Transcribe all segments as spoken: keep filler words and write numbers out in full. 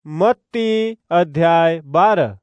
मत्ती अध्याय बारह।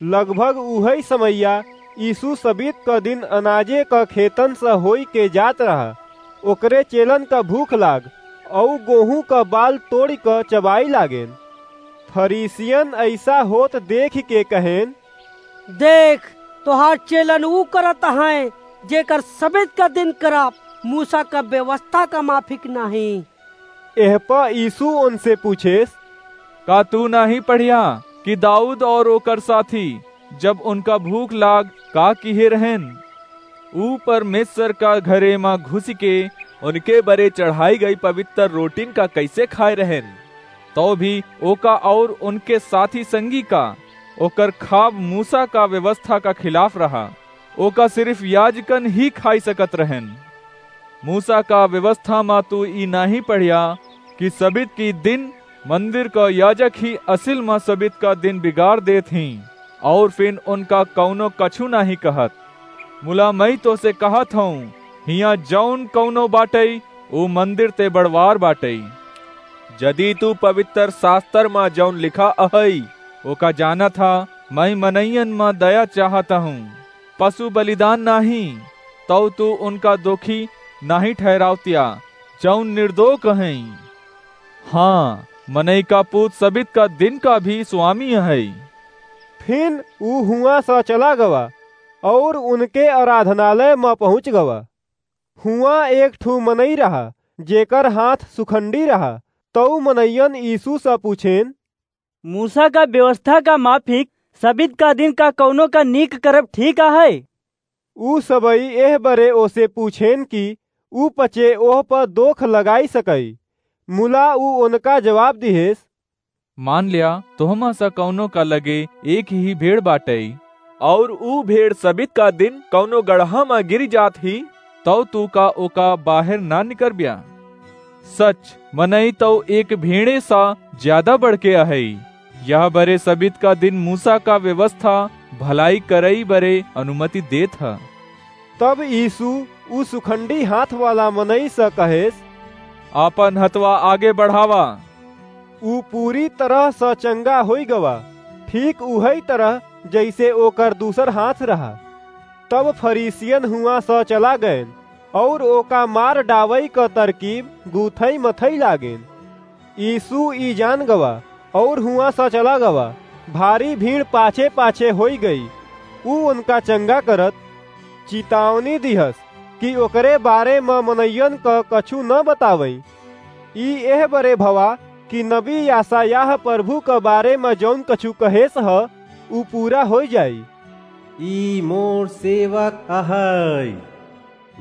लगभग उहइ समइया यीशु सबित क दिन अनाजे क खेतन स होइके जात रहा। ओकरे चेलन क भूख लाग, अउ गोहूँ क बाल तोड़िक चबाइ लागेन। फरीसियन अइसा होत देखिके कहेन, देख, तोहार चेलन ऊ करत हैं, जेकर सबित क दिन करब मूसा क व्यवस्था क माफिक नाहीं। एह प यीशु ओनसे पूछेस, का तू नाहीं पढ़िया कि दाऊद और ओकर साथी, जब उनका भूख लाग, का किहे रहेन? ऊ परमेश्वर का घरे मा घुसिके उनके बरे चढ़ाई गई पवित्र रोटिन का कैसे खाए रहेन? तो भी ओका और उनके साथी संगी का ओकर खाब मूसा का व्यवस्था का खिलाफ रहा। ओका सिर्फ याजकन ही खाई सकत रहेन। मूसा का व्यवस्था मा तू ई नाहीं पढ़िया कि सबित की दिन मंदिर क याजक ही असिल मा सबित का दिन बिगाड़ देत हीं, और फिन उनका कउनो कछु नाहीं कहत। मुला मई तोसे कहत हऊँ, हियाँ जौन कउनो बाटई, ऊ मंदिर ते बड़वार बाटई। जदि तू पवित्र शास्तर मा जौन लिखा अहई, ओका जानत हा, मई मनइयन मा दया चाहत हऊँ, पशु बलिदान नाहीं, तौ तू उनका दोखी नाहीं ठहरावतिया, जौन निर्दोख हईं। हाँ, मनई का पूत सबित का दिन का भी स्वामी अहई। फिन ऊ हुआँ स चला गवा और उनके आराधनालय म पहुँच गवा। हुआँ एक ठू मनई रहा, जेकर हाथ सुखंडी रहा। तौ मनइयन यीशु स पूछेन, मूसा का व्यवस्था का माफिक सबित का दिन का कउनो का नीक करब ठीक अहइ? ऊ सबई एह बरे ओसे पूछेन कि ऊ पचे ओह प दोख लगाई सकई। मुला ऊ ओनका जवाब दिहेस, मान ल्या, तोहमा स कउनो का लगे एक ही भेड़ बाटई, और ऊ भेड़ सबित का दिन कउनो गड़हा मा गिर जात ही, तौ तू का ओका बाहर ना निकरब्या? सच, मनई तौ एक भेड़े सा ज्यादा बढ़के अहई। यह बरे सबित का दिन मूसा का व्यवस्था भलाई करई बरे अनुमति देत ह। तब यीशु ऊ सुखंडी हाथ वाला मनई स कहेस, आपन हथवा आगे बढ़ावा। ऊ पूरी तरह स चंगा होइ गवा, ठीक उहई तरह जइसे ओकर दूसर हाथ रहा। तब फरीसियन हुआँ स चला गएन और ओका मार डावई क तरकीब गूथई मथई लागेन। यीशु ई जान गवा और हुआँ स चला गवा। भारी भीड़ पाछे पाछे होइ गई। ऊ उनका चंगा करत चितावनी दिहस कि ओकरे बारे म मनइयन क कछु न बतावई। ई एह बरे भवा कि नबी यासायाह प्रभु क बारे म जौन कछु कहेस ह, ऊ पूरा होइ जाई। ई मोर सेवक अहइ,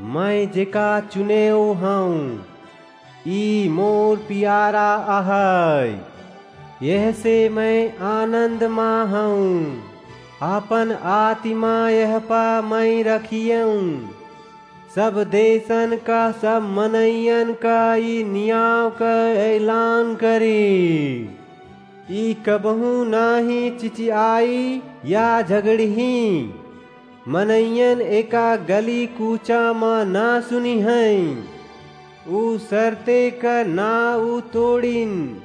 मइँ जेका चुनेव हऊँ, ई मोर पियारा अहइ, यहसे मइँ आनन्द मा हऊँ। आपन आतिमा यहपा मइँ रखियऊँ। सब देसन का सब मनइयन का ई नियाव क एलान करी। ई कबहूँ नाहीं चिचिआई या झगड़िहीं। मनइयन एका गली कूचा म ना सुनिहैं। ऊ सरते क ना ऊ तोड़िन।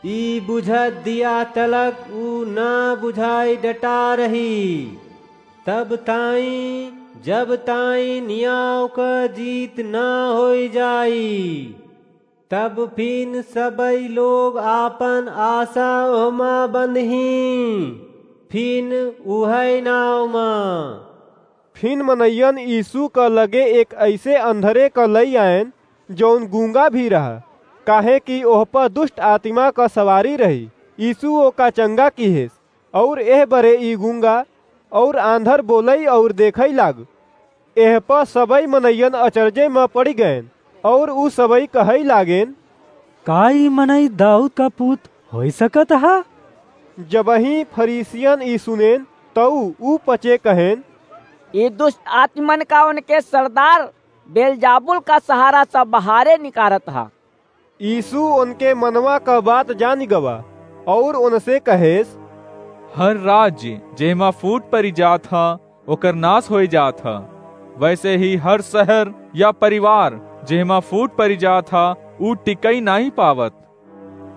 ई बुझत दिया तलक ऊ ना बुझाई डटा रही। तब ताईं, जब ताईं नियाव क जीत ना होइ जाई। तब फिन सबई लोग आपन आसा ओहमा बंधहीं, फिन उहई नाव मा। फिन मनइयन यीशु क लगे एक अइसे अंधरे क लइ आएन, जौन गूंगा भी रहा, काहे कि ओह प दुष्ट आतिमा क सवारी रही। यीशु ओका चंगा किहेस। और एह बरे ई गूंगा और आंधर बोलई और देखई लाग। एह प सबई मनइयन अचरजे म पड़ि गएन और ऊ सबई कहई लागेन, का ई मनई दाऊद का पूत होइ सकत ह? जबहीं फरीसियन ई सुनेन, तऊ ऊ पचे कहेन, ई दुष्ट आत्मन का उनके सरदार बेलजाबुल का सहारा स बहारे निकारत ह। यीशु उनके मनवा क बात जानि गवा और उनसे कहेस, हर राज्य जेहमा फूट परि जात ह, ओकर नास होइ जात ह। वैसे ही हर शहर या परिवार जेहमा फूट परि जात ह, ऊ टिकई नाहीं पावत।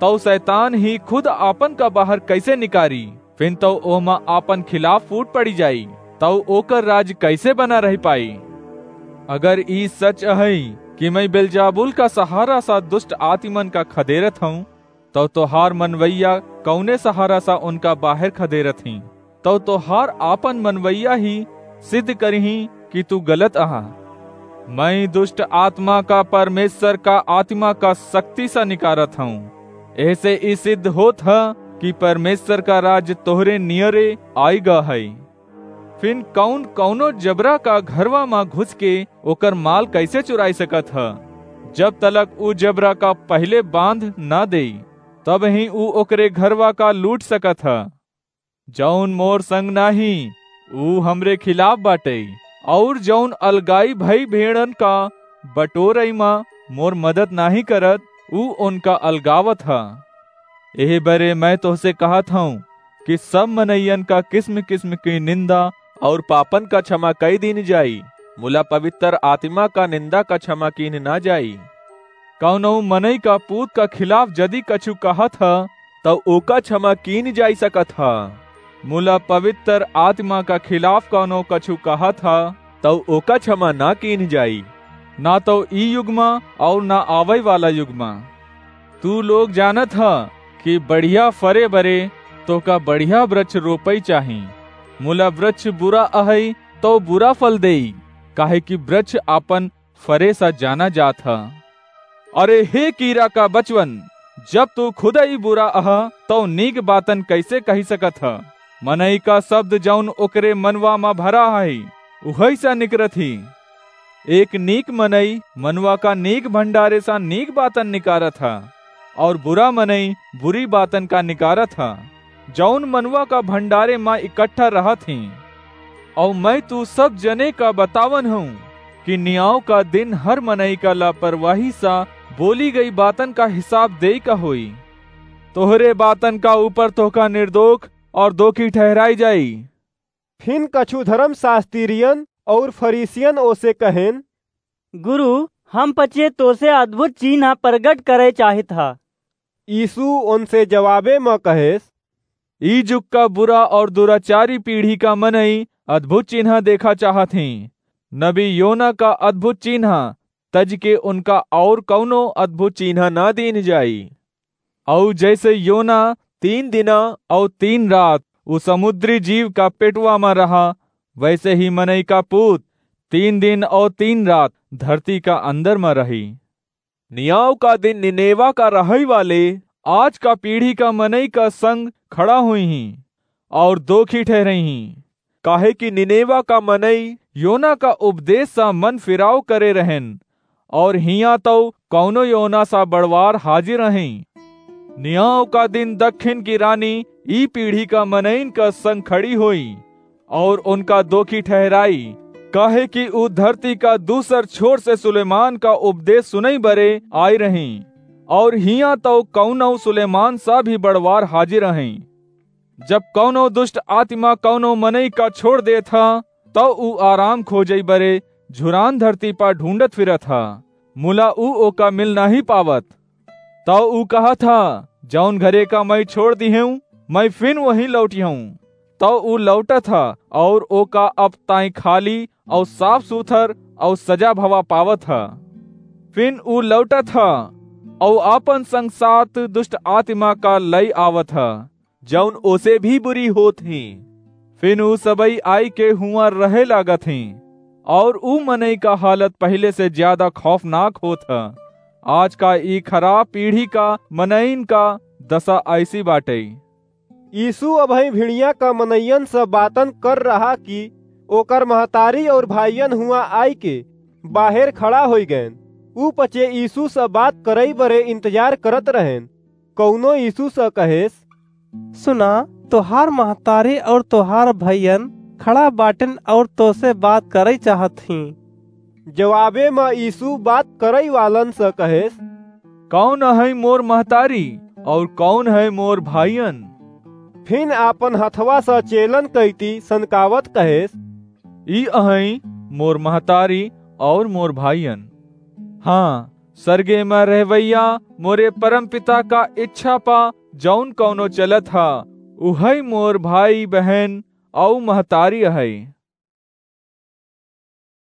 तउ सैतान ही खुद आपन का बाहर कइसे निकारी? फिन तउ ओहमा आपन खिलाफ फूट पड़ी जाई, तउ ओकर राज कइसे बना रहि पाई? अगर ई सच अहइ कि मइँ बेलजाबुल का सहारा सा दुष्ट आतिमन का खदेरत हउँ, तउ तोहार मनवइया कउने सहारा सा उनका बाहर खदेरत हीं? तउ तोहार आपन मनवइया ही सिद्ध करिहीं कि तू गलत अहा। मइँ दुष्ट आतिमा का परमेस्वर का आतिमा का सक्ति सा निकारत हउँ। एहसे ई सिद्ध होत ह कि परमेस्वर का राज तोहरे नियरे आइ गा हइ। फिन कउन कउनो जबरा का घरवा मा घुस के ओकर माल कइसे चुराइ सकत ह? जब तलक ऊ जबरा का पहिले बाँध न देइ, तबहिं ऊ ओकरे घरवा का लूट सकत ह। जउन मोर संग नाहीं, ऊ हमरे खिलाफ बाटइ, अउर जउन अलगाई भई भेड़न का बटोरइ मा मोर मदद नाहीं करत, ऊ ओनका अलगावत ह। एह बरे मइँ तोहसे कहत हउँ कि सब मनइयन का किस्म-किस्म की निन्दा अउर पापन का छमा कइ दीन जाई, मुला पबित्तर आतिमा का निन्दा का छमा कीन न जाई। कउनउ मनई का पूत का खिलाफ जदि कछु कहत ह, तउ ओका छमा कीन जाइ सकत ह, मुला पबित्तर आतिमा का खिलाफ कउनउ कछु कहत ह, तउ ओका छमा न कीन जाई, न तउ ई युग मा अउर न आवइ वाला युग मा। तू लोग जानत ह कि बढ़िया फरे बरे तोहका बढ़िया ब्रछ रोपइ चाही, मुला ब्रछ बुरा अहइ, तउ बुरा फल देइ, काहेकि ब्रछ आपन फरे सा जाना जात ह। अरे हे कीरा का बचवन, जब तू खुदइ बुरा अह, तउ नीक बातन कइसे कहि सकत ह? मनई का सब्द जउन ओकरे मनवा मा भरा हइ, उहइ सा निकरत ही। एक नीक मनई मनवा का नीक भंडारे सा नीक बातन निकारत ह, अउर बुरा मनई बुरी बातन का निकारत ह, जउन मनवा का भंडारे मा इकट्ठा रहत हीं। अउर मइँ तू सब जने का बतावन हउँ कि नियाव का दिन हर मनई का लापरवाही सा बोली गई बातन का हिसाब देइ का होई। तोहरे बातन का ऊपर तोहका निर्दोख अउर दोखी ठहराइ जाई। फिन कछु धरम सास्तिरियन अउर फरीसियन ओसे कहेन, गुरु, हम पचे तोसे अद्भुत चीन्हा परगट करइ चाहित ह। यीसू ओनसे जवाबे म कहेस, ई जुग का बुरा अउर दुराचारी पीढ़ी का मनई अद्भुत चीन्हा देखा चाहत हीं। नबी योना का अद्भुत चीन्हा तजि के उनका अउर कउनो अद्भुत चीन्हा न दीन जाई। अउर जइसे योना तीन दिना अउर तीन रात उ समुद्री जीव का पेटवा म रहा, वइसे ही मनई का पूत तीन दिन अउर तीन रात धरती का अंदर म रही। नियाव का दिन निनेवा का रहइ वाले आज का पीढ़ी का मनई का संग खड़ा होइहीं अउर दोखी ठहरइहीं, काहेकि निनेवा का मनई योना का उपदेस सा मन फिराव करे रहेन, अउर हियाँ तउ कउनो योना सा बड़वार हाजिर अहइँ। नियाव का दिन दक्खिन की रानी ई पीढ़ी का मनइन का संग खड़ी होई, अउर उनका दोखी ठहराई, काहेकि ऊ धरती का दूसर छोर से सुलेमान का उपदेस सुनइ बरे आइ रहीं, अउर हियाँ तउ कउनउ सुलेमान सा भी बड़वार हाजिर अहइँ। जब कउनो दुष्ट आतिमा कउनो मनई का छोड़ देत ह, तउ ऊ आराम खोजइ बरे झुरान धरती पर ढूँढत फिरत ह, मुला ऊ ओका मिल नाहीं पावत। तउ ऊ कहत ह, "जउन घरे का मइँ छोड़ दिहेंव, मइँ फिन वहीं लौटिहंव।" तउ ऊ लौटत ह, अउर ओका अब ताईं खाली अउर साफ सुथर अउर सजा भवा पावत ह। फिन ऊ लौटत ह, अउर आपन संग सात दुष्ट आतिमा का लइ आवत ह, जउन ओसे भी बुरी होत हीं। फिन ऊ सबई आइके हुआँ रहे लागत हीं, अउर ऊ मनई का हालत पहिले से ज्यादा खौफनाक होत ह। आज का ई खराब पीढ़ी का मनइन का दसा अइसी बाटइ। यीसू अबहीं भिड़िया का मनइयन से बातन कर रहा कि ओकर महतारी अउर भाइयन हुआँ आइके बाहेर खड़ा होइ गएन। ऊ पचे यीसू से बात करइ बरे इंतजार करत रहेन। कउनो यीसू से कहेस, "सुना, तोहार महतारी अउर तोहार भइयन खड़ा बाटेन अउर तोसे बात करइ चाहत हीं।" जवाबे म यीसू बात करइ वालन से कहेस, "कउन अहइ मोर महतारी अउर कउन हइ मोर भाइयन?" फिन आपन हथवा से चेलन कइती सनकावत कहेस, "ई अहइ मोर महतारी अउर मोर भाइयन। हाँ, सरगे म रहवइया मोरे परम पिता का इच्छा पा जौन कौनो चलत ह, उहइ मोर भाई, बहन अउ महतारी अहइ।